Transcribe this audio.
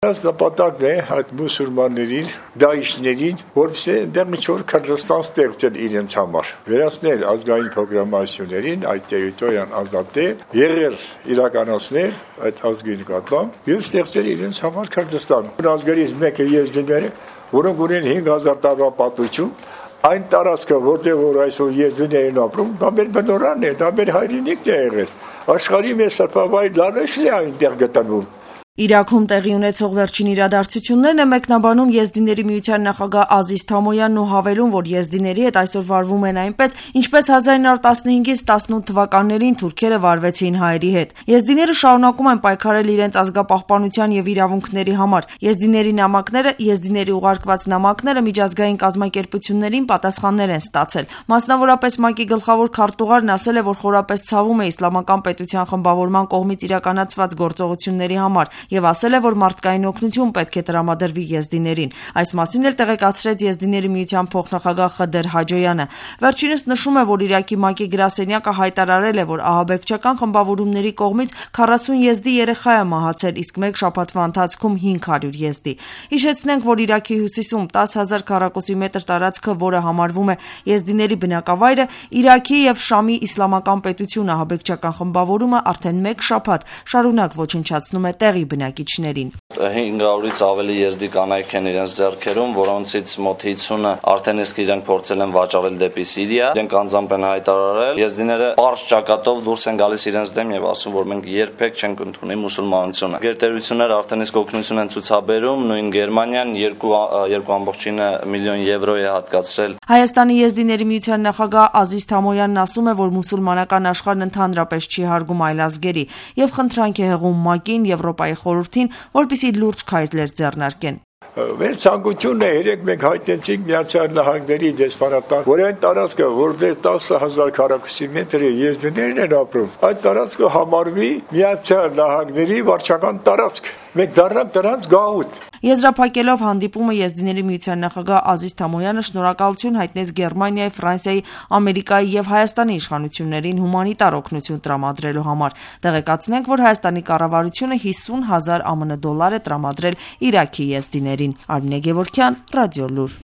Այս նպատակն է այդ մուսուլմաններին, դաիշներին, որպեսզի այնտեղ ինչ-որ Քրդստան ստեղծել իրենց համար, վերացնել ազգային փոքրամասնություններին, այդ տերիտորիան ազատել, եղել իրականացնել այդ ազգի նկատմամբ եւ ստեղծել իրենց համար Քրդստան։ Ազգերից մեկը եզդիները, որոնք ունեն 5000 տարվա պատմություն, այն տարածքը, որտեղ որ այսօր եզդիներն ապրում, դա մեր բնորանն է, դա մեր հայրենիքն է եղել։ Աշխարհի մեր սրբավայր լանջն է այնտեղ գտնվում։ Իրաքում տեղի ունեցող վերջին իրադարձություններն է մեկնաբանում Եզդիների միության նախագահ Ազիզ Թամոյանն ու հավելում, որ եզդիների հետ այսօր վարվում են այնպես, ինչպես 1915-ից 18 թվականներին թուրքերը վարվեցին հայերի հետ։ Եզդիները շարունակում են պայքարել իրենց ազգապահպանության եւ իրավունքների համար։ Եզդիների նամակները, եզդիների ուղարկված նամակները միջազգային կազմակերպություններին պատասխաններ են ստացել։ Մասնավորապես ՄԱԿ-ի գլխավոր քարտուղարն ասել է, որ խորապես ցավում է իսլամական պետության խմբավորման կողմից իրականացված գործողությունների համար եւ ասել է, որ մարդկային օգնություն պետք է տրամադրվի եզդիներին։ Այս մասին էլ տեղեկացրեց Եզդիների միության փոխնախագահ Խդեր Հաջոյանը։ Վերջինս նշում է, որ Իրաքի ՄԱԿ-ի գրասենյակը հայտարարել է, որ ահաբեկչական խմբավորումների կողմից 40 եզդի երեխա է մահացել, իսկ մեկ շաբաթվա ընթացքում 500 եզդի։ Հիշեցնենք, որ Իրաքի հյուսիսում 10,000 քառակուսի մետր տարածքը, որը համարվում է եզդիների բնակավայրը, Իրաքի եւ Շամի իսլամական պետություն ահաբեկչական խմբավորումը արդեն մեկ շաբաթ շարունակ ոչնչացնում է տեղի բնակիչներին։ 500-ից ավելի եզդի կանայք են իրենց ձեռքերում, որոնցից մոտ 50-ը արդեն իսկ իրենք փորձել են վաճառել դեպի Սիրիա։ Իրենք անձամբ են հայտարարել, եզդիները պարզ ճակատով դուրս են գալիս իրենց դեմ եւ ասում, որ մենք երբեք չենք ընդունի մուսուլմանությունը։ Գերտերությունները արդեն իսկ օգնություն են ցուցաբերում, նույն Գերմանիան 2.9 միլիոն եվրո է հատկացրել։ Հայաստանի Եզդիների միության նախագահ Ազիզ Թամոյանն ասում է, որ մուսուլմանական աշխարհն ընդհանրապես չի հարգում այլազգերի եւ խնդրանք է հղում ՄԱԿ-ին, Եվրոպայի խորհրդին, որպեսզի լուրջ քայլեր ձեռնարկեն։ Մեր ցանկությունն է երեք մենք հայտնեցինք Միացյալ Նահանգների դեսպանատան, որ այն տարածքը, որտեղ 10,000 քառակուսի մետր եզդիներն են ապրում, այդ տարածքը համարվի Միացյալ Նահանգների վարչական տարածք։ Մենք դառնանք դրանց գաղութ։ Եզրափակելով հանդիպումը Եզդիների միության նախագահ Ազիզ Թամոյանը շնորհակալություն հայտնեց Գերմանիայի, Ֆրանսիայի, Ամերիկայի եւ Հայաստանի իշխանություններին հումանիտար օգնություն տրամադրելու համար։ Տեղեկացնենք, որ Հայաստանի կառավարությունը 50,000 ԱՄՆ դոլար է տրամադրել Իրաքի եզդիներին։ Արմինե Գևորգյան, Ռադիոլուր։